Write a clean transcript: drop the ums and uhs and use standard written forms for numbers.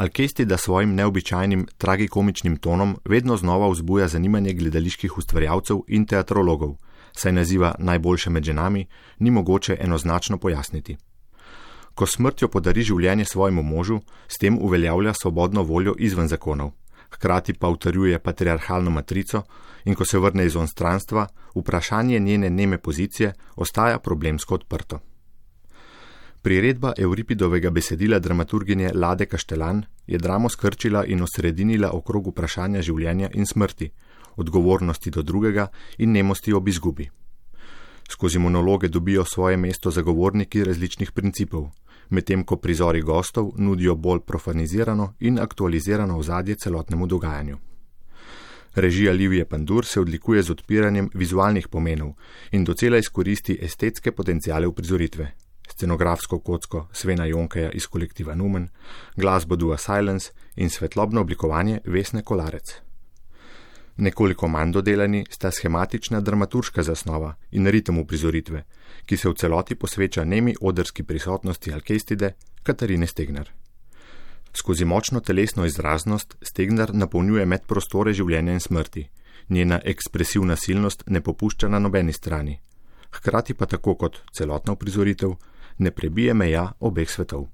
Alkestida svojim neobičajnim tragikomičnim tonom vedno znova vzbuja zanimanje gledaliških ustvarjalcev in teatrologov, saj naziva Najboljše med ženami ni mogoče enoznačno pojasniti. Ko smrtjo podari življenje svojemu možu, s tem uveljavlja svobodno voljo izven zakonov, hkrati pa utrjuje patriarhalno matrico in ko se vrne iz onstranstva, vprašanje njene neme pozicije ostaja problemsko odprto. Priredba Euripidovega besedila dramaturginje Lade Kaštelan je dramo skrčila in osredinila okrog vprašanja življenja in smrti, odgovornosti do drugega in nemosti ob izgubi. Skozi monologe dobijo svoje mesto zagovorniki različnih principov, medtem ko prizori gostov nudijo bolj profanizirano in aktualizirano ozadje celotnemu dogajanju. Režija Livije Pandur se odlikuje z odpiranjem vizualnih pomenov in docela izkoristi estetske potenciale uprizoritve, scenografsko kocko Svena Jonkeja iz kolektiva Numen, glasbo Dua Silence in svetlobno oblikovanje Vesne Kolarec. Nekoliko manj dodelani sta schematična dramaturška zasnova in ritem uprizoritve, ki se v celoti posveča nemi odrski prisotnosti Alkestide Katarine Stegner. Skozi močno telesno izraznost Stegner napolnjuje medprostore življenja in smrti, njena ekspresivna silnost ne popušča na nobeni strani, hkrati pa tako kot celotna uprizoritev ne prebije meja obeh svetov.